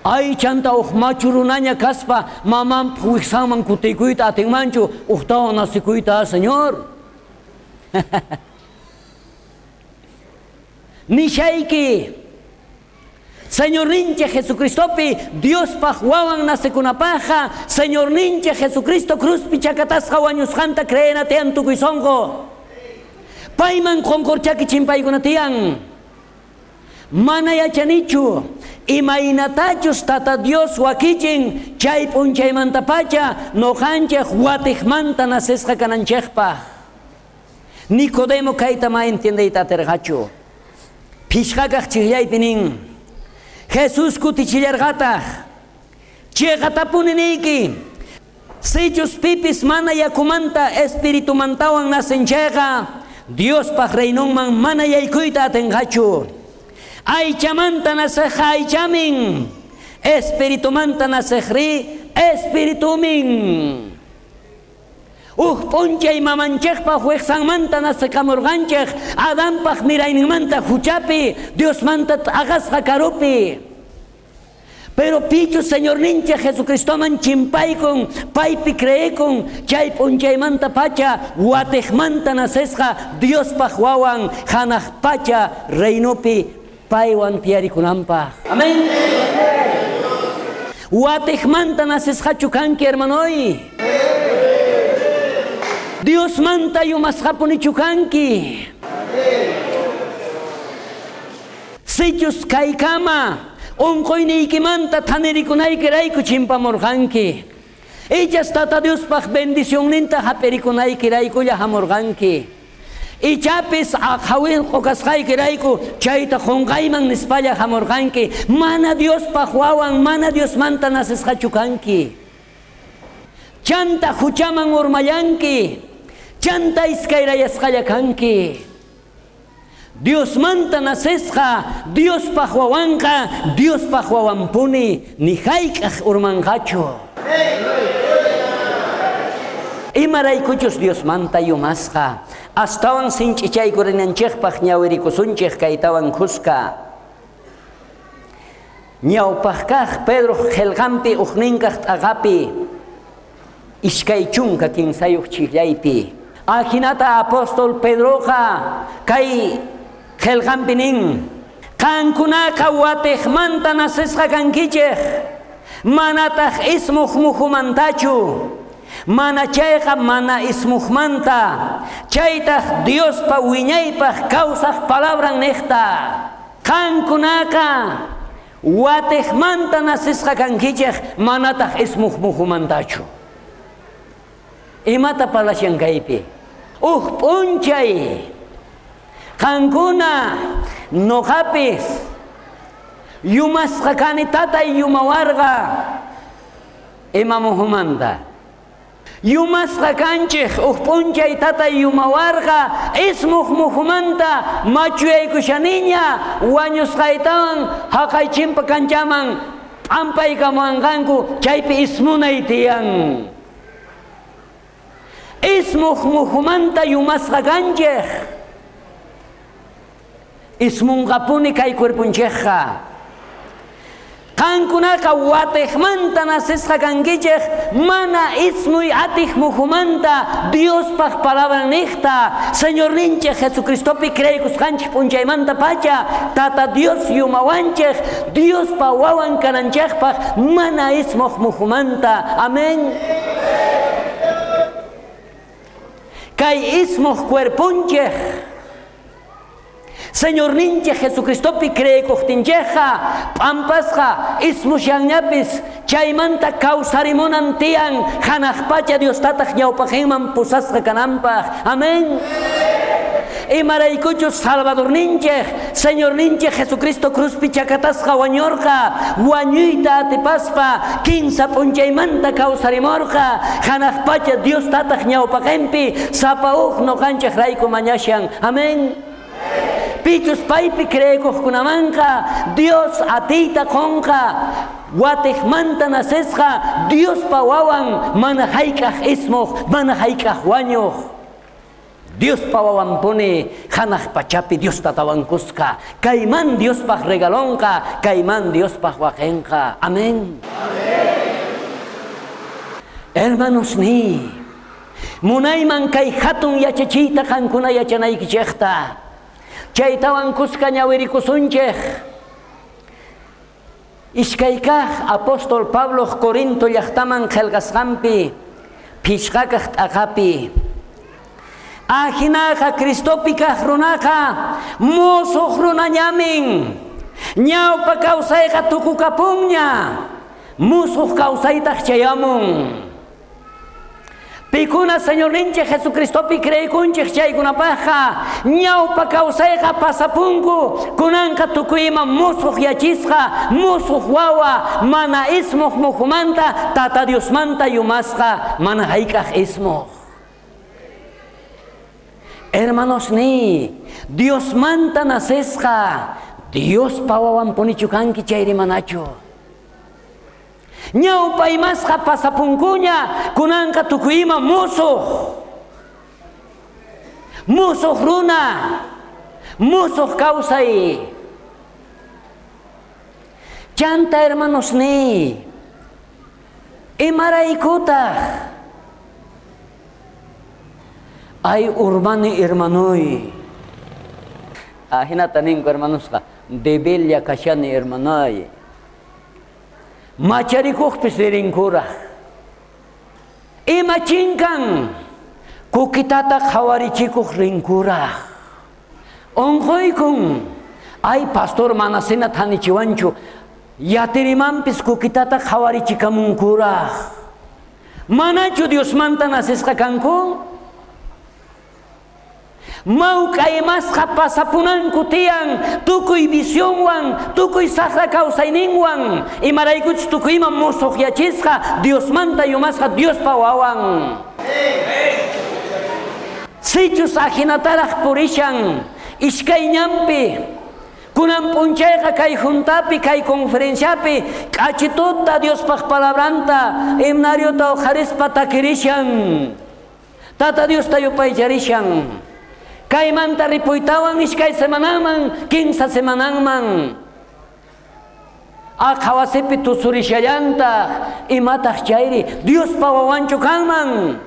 Ay chanta uj machu runaña kaspa mamanpaj wijsanman kutiykuyta atinmanchu ujtawan nacikuyta, Señor. Nishayki Señorninchik Jesucristopi Diospaj wawan nacikunapajqa Señorninchik Jesucristo cruzpi chakatasqa wañusqanta creena tiyan tukuy sonqo. Payman qonqorchaki chimpaykuna tiyan. Mana yachanichu imaynatachus Tata Dios wakichin chay p'unchaymantapacha noqanchik watiqmanta nacesqa kananchikpaj. Nicodemo kayta ma entiendeyta aterqachu. Phishqakaq chiqllaypi nin Jesús kutichillarqataq chiqatapuni niyki sichus pipis mana yakumanta espiritumantawan nacen chayqa Diospaj reinonman mana yaykuyta atinqachu. Aychamanta naceqqa aychamin, espiritumanta naceqri espiritumin. Uj p'unchay mamanchikpaj wijsanmanta nacekamurqanchik Adanpaj mirayninmanta huchapi Diosmanta t'aqasqa karupi. Pero pichu Señorninchik Jesucristoman chimpaykun paypi creekun chay p'unchaymanta pacha watiqmanta nacesqa Diospaj wawan hanaq pacha reinopi paywan tiyarikunanpaj. Amén. Watiqmanta nacesqachu kanki, hermanoy. Diosmanta yumasqapunichu kanki. Sichus kaykama unquyniykimanta thanirikunaykirayku chimpamurqanki. Ichas Tata Diospaj bendicionninta hap'irikunaykiraykulla hamurqanki. Ichapis aqhawilqu kasqaykirayku chayta qunqayman nispalla hamurqanki. Mana Diospaj wawan, mana Diosmanta nacesqachu kanki. Chanta huchaman urmallanki. Chanta iskayrayasqalla kanki. Diosmanta nacesqa, Diospaj wawanqa, Diospaj wawanpuni, ni hayk'aq urmanqachu. Imaraykuchus Diosmanta yumasqa, astawan sinch'ichaykurinanchikpaj ñawirikusunchik kaytawan khuska. Ñawpajkaj Pedro qillqanpi ujninkaj t'aqapi, iskay chunka kinsayuq chillaypi. Ajinata apóstol Pedroqa kay qillqanpi nin, qankunaqa watiqmanta nacesqa kankichej, manataq ismuj mujumantachu, mana chayqa mana ismujmanta, chaytaq Diospa wiñaypaj kawsaj palabran niqta. Qankunaqa watiqmanta nacesqa kankichej, manataq ismuj mujumantachu. Imata parlashan kaypi? Uj p'unchay qankuna noqapis yumasqa kani tatay yumawarqa ima mujumanta. Yumasqa kanchik uj p'unchay tatay yumawarqa ismuj mujumanta machuyaykushaniña wañusqaytawan haqay chimpa kanchaman p'ampaykamuwanqanku chaypi ismunay tiyan. Ismuj mujumanta yumasqa kanchik. Ismunqapuni kay cuerpunchikqa. Qankunaqa watiqmanta nacesqa kankichik, mana ismuy atiq mujumanta Diospaj palabran niqta. Señorninchik Jesucristopi creekusqanchik p'unchaymanta pacha Tata Dios yumawanchik Diospa wawan kananchikpaj mana ismuj mujumanta. Amén. Kay ismuj cuerpunchik Señorninchik Jesucristopi creekuqtinchikqa p'ampasqa ismushanñapis chaymanta kawsarimunan tiyan hanaq pacha Dios tataq ñawpaqinman pusasqa kananpaj. Amén. Imaraykuchus Salvadorninchik Señorninchik Jesucristo cruzpi chakatasqa wañurqa wañuyta atipaspa kinsa p'unchaymanta kawsarimurqa hanaq pacha Dios tataq ñawpaqinpi sapa uj noqanchik rayku mañashan. Amén. Pichus paypi creekuqkunamanqa Dios atiyta qonqa. Watejmanta nacesqa Diospa wawan mana hayk'aq ismuq, mana hayk'aq wañuq. Diospa wawanpuni hanaq pachapi Dios tatawankusqa. Kayman Diospaq regalonqa, kayman Diospaq waqenqa. Amén. Amén. Hermanos ni, munayman kay hatun yachachiyta qankuna yachanaykichejta. Chaytawan kuska ñawirikusunchej. Iskaykaj apóstol Pablo Corinto llaqtaman qhelqasqanpi, phishqakaj t'aqapi. Ajinaqa Cristopi kaq runaqa musuq runañamin. Ñawpa kawsayqa tukukapunña, musuq kawsaytaq chayamun. Pikuna Señorninchik Jesucristopi creekunchik chaykunapaqqa ñawpa kawsayqa pasapunku, kunanqa tukuyma musuq yachisqa, musuq wawa, mana ismuq mujumanta, Tata Diosmanta yumasqa, mana hayk'aq ismuq. Hermanos ni, Diosmanta nacesqa, Diospa wawanpunichu kanki chayri manachu. Ñawpa imasqa pasapunkuña, kunanqa tukuyima musuq. Musuq runa, musuq kawsay. Chanta hermanos ni, imaraykutaq ay urmani hermanoy. Ajinata ninku hermanosqa, debella kashani hermanoy. Macharikuqpis ririnkuraq. Ima chinkan kukitata qhawarichikuq rinkuraq. Unquykun, ay pastor manasina thanichiwanchu, yatirimanpis kukitata qhawarichikamunkuraq. Manachu Diosmanta nacesqa kanku? Mawk'a imasqa pasapunanku tiyan tukuy visionwan, tukuy saqra kawsayninwan, imaraykuchus tukuyman musuq yachisqa, Diosmanta yumasqa Diospa wawan. Sichus ajinataraq purishan iskay ñanpi, kunan p'unchayqa kay juntapi, kay conferenciapi, k'achituta Diospaq palabranta, himnariota uqharispa takirishan, Tata Diosta yupaycharishan. Kaymanta ripuytawan iskay semanaman, kinsa semananman. Aqhawasipi tusurishallantaq, imataq chayri, Diospa wawanchu kanman.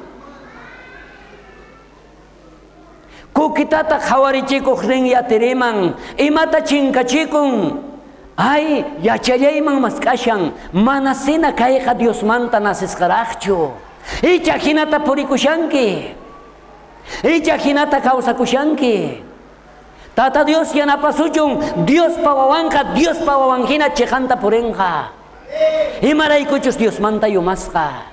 Kukitata qhawarichikuq rin yatiriman, imata chinkachikun. Ay, yachallayman mask'ashan, manasina kayqa Diosmanta nacesqaraqchu. Icha hinata purikushanki. Icha hinata kawsakushanki. Tata Dios yanapasuchun, Diospa wawanqa, Diospa wawanhina chiqanta purinqa. Imaraykuchus Diosmanta yumasqa.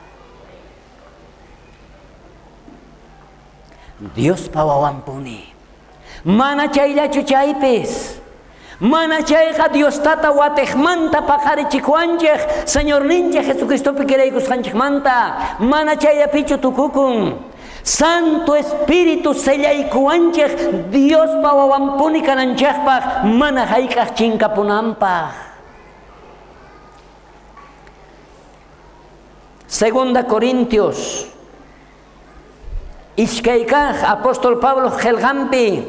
Diospa wawanpuni. Mana chayllachu chaypis. Mana chayqa Dios tata watejmanta paqarichikuwanchej, Señorninchej Jesucristopi kiraykusqanchejmanta. Mana chayllapichu tukukun. Santo Espíritu sellaykuwanchej Diospa wawanpuni kananchejpaq, mana hayk'aq chinkapunanpaq. Segunda Corintios iskaykaj apóstol Pablo qhelqanpi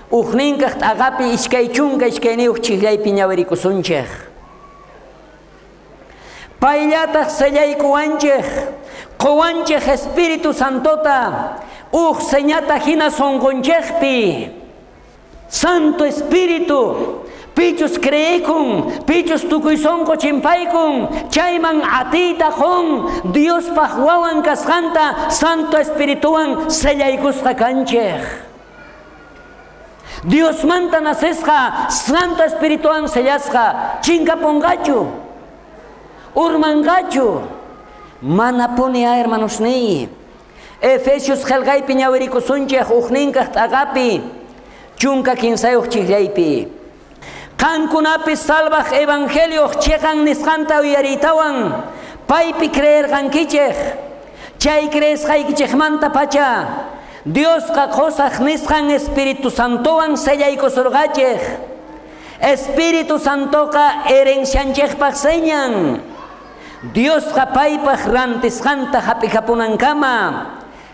ujninkaj t'aqapi iskay chunka iskayniyuq chijllaypi ñawirikusunchej. Payllataj sellaykuwanchej, qowanchej Espíritu Santota, uj señata hina sonqonchejpi. Santo Espíritu, pichus creekun, pichus tukuy sonqo chimpaykun, chayman atiyta qon, Diospaq wawan kasqanta Santo Espirituwan sellaykusqa kanchej. Diosmanta nacesqa, Santo Espirituwan sellasqa, chinkapunqachu, urmanqachu. Manapuni a hermanos ni. Efesios qhelqaypi ñawirikusunchej ujninkaj t'aqapi, chunka kinsayuq chijllaypi. Qankunapi salvaj evangelioq chiqan nisqanta uyariytawan, paypi creerqankichej, chay creesqaykichejmanta pacha, Diosqa qosaj nisqan Espíritu Santowan sellaykusurqachej. Espíritu Santoqa herencianchejpaj señan. Diosqa paypaj rantisqanta hap'ikapunankama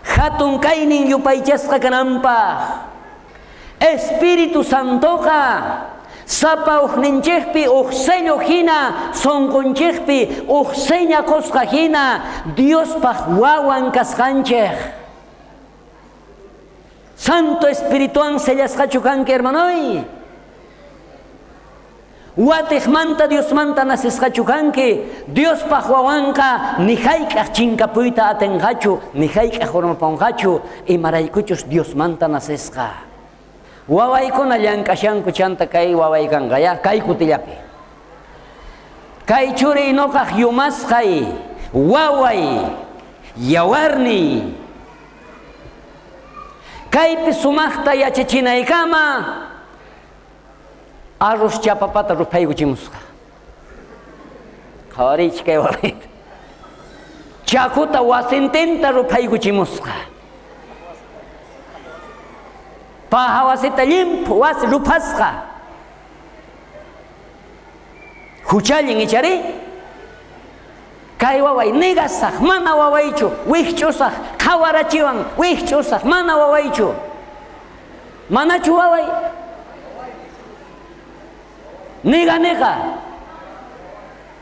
hatun kaynin yupaychasqa kananpaj. Espíritu Santoqa sapa ujninchejpi uj sello hina, sonqonchejpi uj seña qosqa hina Diospaj wawan kasqanchej. Santo Espirituan sellasqachu kanki, hermanoy. Watejmanta Diosmanta nasisqachu kanki. Diospaj wawanqa ni hayk'aj chinkapuyta atenqachu, ni hayk'aj urmaponqachu, imaraykuchus Diosmanta nasisqa. Wawaykuna llank'ashanku chanta kay waway kanqa ya, kay kutillapi. Kay churiy noqaj yumasqay, waway, yawarniy. Kaypi sumaqta yachachinaykama arroz chapapata ruphaykuchimusqa. Qhawariychik kay wawayta. Chakuta wasintinta ruphaykuchimusqa. Paja wasita llimphu wasi ruphasqa. Huchallin ichari? Kay waway negasaj, mana wawaychu, wikch'usaj, qhawarachiwan, wikch'usaj, mana wawaychu. Manachu waway? Niga niga.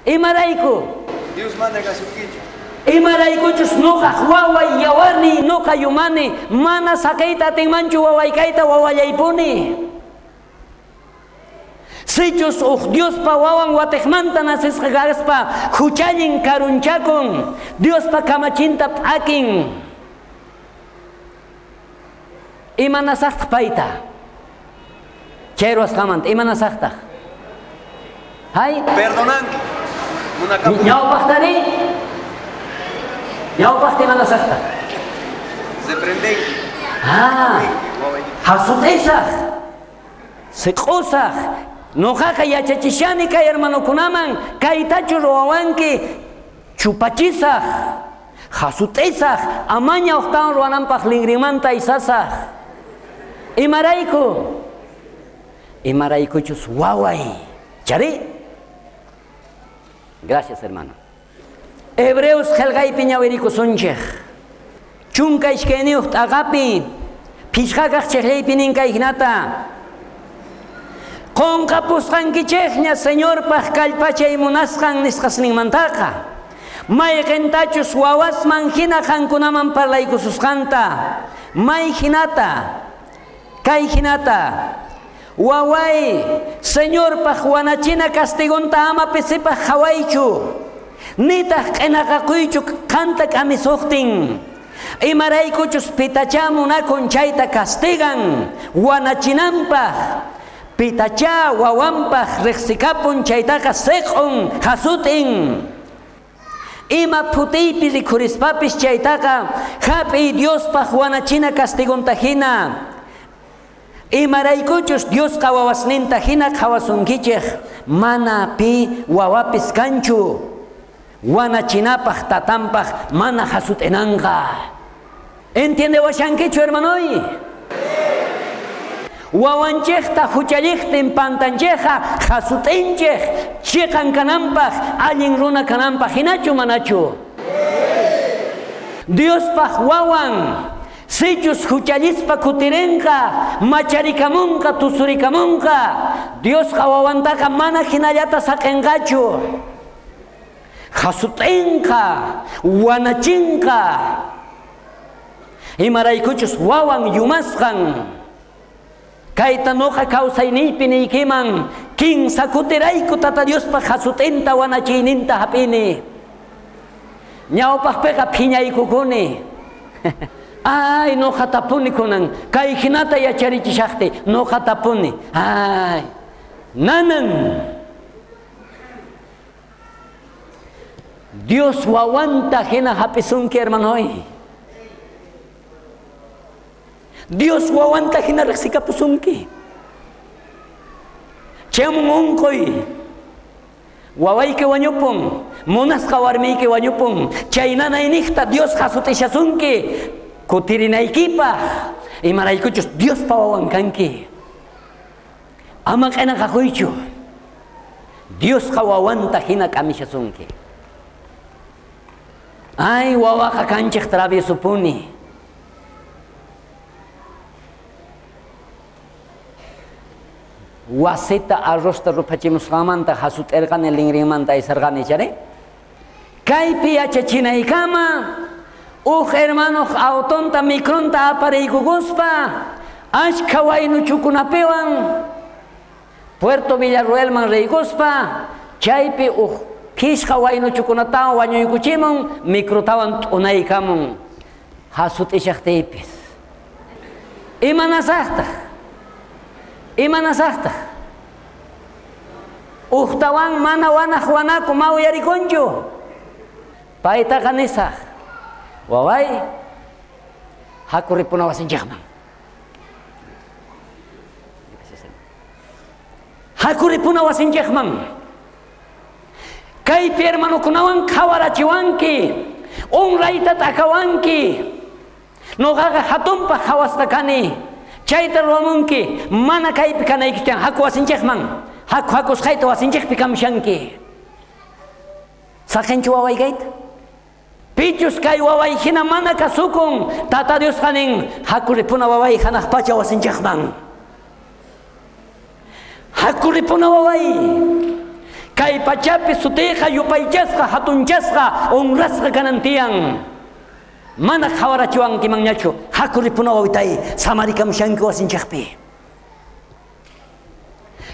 Imarayku? Dios mana kasunkichu. Imaraykuchus noqaj waway yawarniy noqa yumani, mana saqeyta atinmanchu wawaykayta wawallaypuni. Sichus uj Diospa wawan watejmanta nasisqa kaspa huchallin karunchakun, Diospa kamachinta p'akin. Imanasaqtaq payta? Chay ruwasqamanta imanasaqtaq? Hay? Perdonanki. Ñawpaqtari? Ñawpaqta imanasaqtaq? Reprendenki. Ah, hasut'isaq, siq'usaq. Noqaqa yachachishani kay hermanokunaman, kaytachu ruwawanki, chupachisaq, hasut'isaq, amaña uqtawan ruwananpaq linrinmanta aysasaq. Imarayku? Imaraykuchus waway. Chari? Gracias, hermano. Hebreos qhelqaypi ñawirikusunchej. Chunka iskayniyuq t'aqapi, phishqakaq chejllaypi nin kay hinata. Qonqapusqankichejña Señorpaj kallpachay munasqan nisqasninmantaqa. Mayqintachus wawasman hina qankunaman parlaykususqanta. May hinata, kay hinata. Waway, Señorpaj wanachina castigonta ama pisipaj qhawaychu. Nitaq q'inaqakuychu qanta k'amisuqtin. Imaraykuchus pitachá munakun chayta castigan wanachinanpaj. Pitachá wawanpaj riqsikapun chaytaqa siq'un hasut'in. Ima phutiypi rikhurispapis chaytaqa hap'iy Diospaj wanachina castigonta hina. Imaraykuchus Diosqa wawasninta hina qhawasunkichej, mana pi wawapis kanchu. Wanachinapaj tatanpaj mana hasut'inanqa. ¿Entiendewashankichu, hermanoy? Wawanchejta huchalliqtin pantanchejqa hasut'inchej chiqan kananpaj allin runa kananpaj hinachu manachu? Diospaj wawan sichus huchallispa kutirinqa, macharikamunqa, tusurikamunqa, Diosqa wawantaqa mana hinallata saqinqachu. Hasut'inqa, wanachinqa. Imaraykuchus wawan yumasqan. Kayta noqa kawsayniypi niykiman, kinsa kutirayku Tata Diospaj hasut'inta wanachiyninta hap'ini. Ñawpaqpiqa phiñaykukuni. Ay, noqa tapuni kunan, kay hinata yacharichishaqti, noqa tapuni. Ay, nanan. Dios wawanta hina hap'isunki, hermanoy. Dios wawanta hina riqsikapusunki. Chayamun unquy, wawayki wañupun, munasqa warmiyki wañupun, chay nanayniqta Dios hasut'ishasunki. Kutirinaykipaj imaraykuchus Diospa wawan kanki. Ama q'inaqakuychu. Diosqa wawanta hina k'amishasunki. Ay, wawaqa kanchej traviesopuni. Wasita arrosta ruphachimusqanmanta hasut'irqani linrinmanta aysarqani chari. Kaypi yachachinaykama uj hermanoq autonta micronta apariykukuspa ashkha waynuchukunapiwan Puerto Villarroelman riykuspa chaypi uj phishqa waynuchukunatawan wañuykuchimun microtawan t'unaykamun hasut'ishaqtiypis. Imanasaqtaq? Imanasaqtaq? Ujtawan mana wanaq wanaku ma uyarikunchu. Paytaqa nisaq, waway, haku ripuna wasinchikman. Haku ripuna wasinchikman. Kaypi hermanokunawan qhawarachiwanki, honrayta t'akawanki. Noqaqa hatunpaq qhawasqa kani. Chayta ruwamunki, mana kaypi kanaykichkan, haku wasinchikman. Haku hakusqayta wasinchikpi kamushanki. Saqinchu waway kayta? Pichus kay waway hina mana kasukun, Tata Diosqa nin, haku ripuna waway hanaq pacha wasinchikman. Haku ripuna waway. Kay pachapi sutiyqa yupaychasqa, hatunchasqa, honrasqa kanan tiyan. Mana qhawarachiwankimanñachu, haku ripuna wawitay, samarikamushanki wasinchikpi.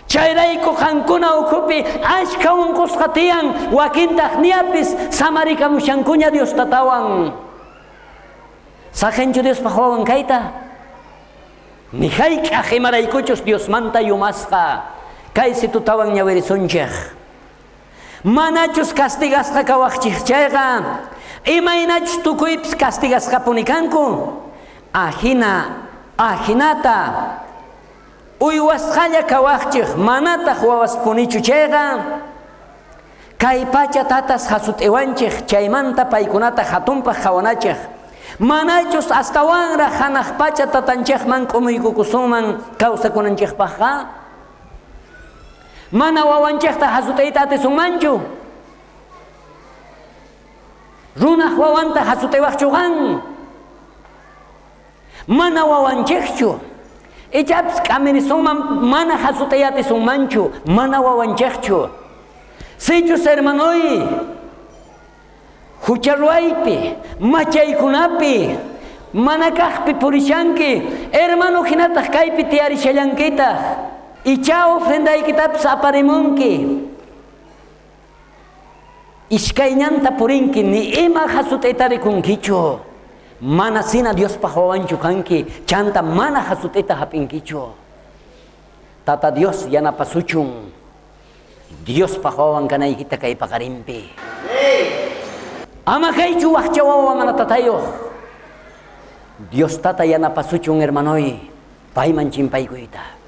Chayrayku qankuna ukhupi ashkha unqusqa tiyan, wakintaq niyapis samarikamushankuña Dios tatawan. Saqinchu Diospaq wawan kayta? Ni hayk'aq imaraykuchus Diosmanta yumasqa. Kay situtawan ñawirisunchik. Manachus castigasqa kawaqchik chayqa, imaynachus tukuypis castigasqapuni kanku, ajina, ajinata uywasqalla kawaqchik manataq wawaspunichu chayqa, kay pacha tatas hasut'iwanchik chaymanta paykunata hatunpaq qhawanachik. Manachus astawanraq hanaq pacha tatanchikman k'umuykukusunman kawsakunanchikpaqqa, mana wawanchikta hasut'iyta atisunmanchu. Runaq wawanta hasut'iwaqchu qan? Mana wawanchikchu. Ichapis k'amirisunman mana hasut'iy atisunmanchu, mana wawanchikchu. Sichus hermanoy, hucha ruwaypi, machaykunapi, mana kaqpi purishanki, hermano hinataq kaypi tiyarishallankitaq. Icha ofrendaykitapis aparimunki. Iskayñanta purinki, ni ima hasut'ita rikunkichu. Mana sina Diospaq wawanchu kanki, chanta mana hasut'ita hap'inkichu. Tata Dios yanapasuchun. Diospaq wawan kanaykita kay paqarinpi. Ama kaychu waqcha wawa mana tatayuq. Dios tata yanapasuchun hermanoy, payman chimpaykuyta.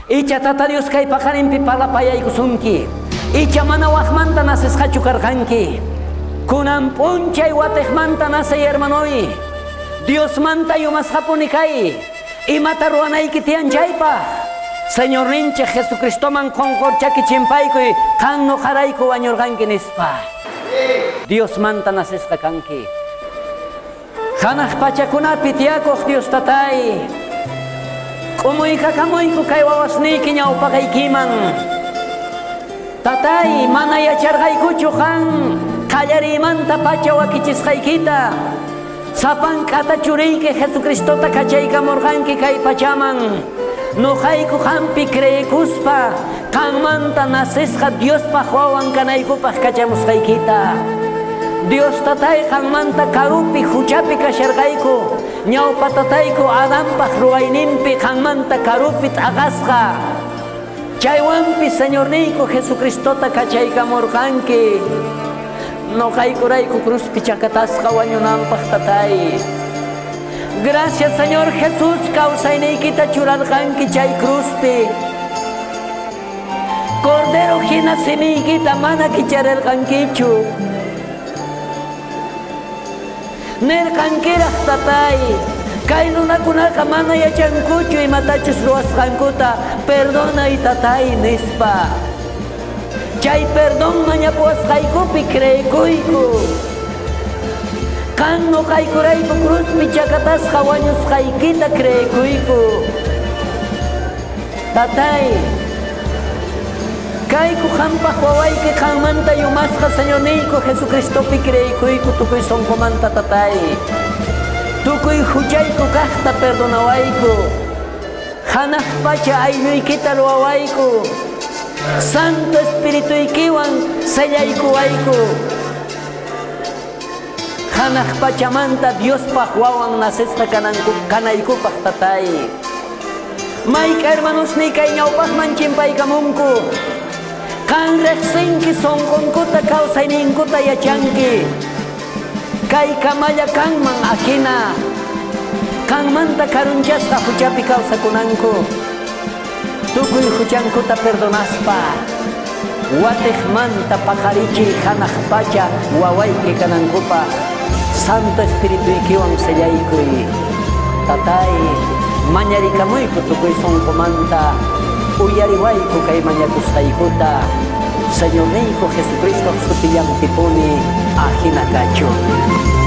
Icha Tata Dios kay paqarinpi parlapayaykusunki. Icha mana waqmanta nasisqachu karqanki. Kunan p'unchay watiqmanta nasay hermanoy. Diosmanta yumasqapuni kay. Imata ruwanayki tiyan chaypaq. Señorninchik Jesucristoman qonqorchaki chimpaykuy, qan noqarayku wañurqanki nispa. Diosmanta nasisqa kanki. Hanaq pachakunapi tiyakuq Dios tatay. K'umuykakamunku kay wawasniyki ñawpaqaykiman. Tatay, mana yacharqaykuchu qan qallariymanta pacha wakichisqaykita. Sapank'ata churiyki Jesucristota kachaykamurqanki kay pachaman. Noqayku qampi creekuspa qanmanta nasisqa Diospaq wawan kanaykupaq kachamusqaykita. Dios tatay qanmanta karupi huchapi kasharqayku. Ñawpa tatayku Adanpaq ruwayninpi qanmanta karupi t'aqasqa. Chaywanpi Señorniyku Jesucristota kachaykamurqanki. Noqaykurayku cruzpi chakatasqa wañunanpaq tatay. Gracias Señor Jesús kawsayniykita churarqanki chay cruzpi. Cordero hina simiykita mana kichararqankichu. Nerqankiraj tatay, kay runakunaqa mana yachankuchu imatachus ruwasqankuta, perdonay tatay nispa. Chay perdón mañapuwasqaykupi creekuyku. Qan noqaykurayku cruzpi chakatasqa wañusqaykita creekuyku. Tatay, kayku qampaj wawayki qanmanta yumasqa Señorniyku Jesucristopi creekuyku tukuy sonqomanta tatay. Tukuy huchayku kajta perdonawayku. Hanaj pacha aylluykita ruwawayku. Santo Espirituykiwan sellaykuwayku. Hanaj pachamanta Diospaj wawan nacesqa kananku kanaykupaj tatay. Mayka hermanosniy kay ñawpajman chimpaykamunku. Qan rejsinki sonqonkuta kawsayninkuta yachanki. Kay kamalla kanman ajina. Qanmanta karunchasqa huchapi kawsakunanku. Tukuy huchankuta perdonaspa. Watejmanta paqarichiy hanaj pacha wawayki kanankupaj. Santo Espirituykiwan sellaykuy. Tatay, mañarikamuyku tukuy sonqomanta. Uyariwayku kay mañakusqaykuta. Señorniyku Jesucristo sutillanpipuni ajina kachun.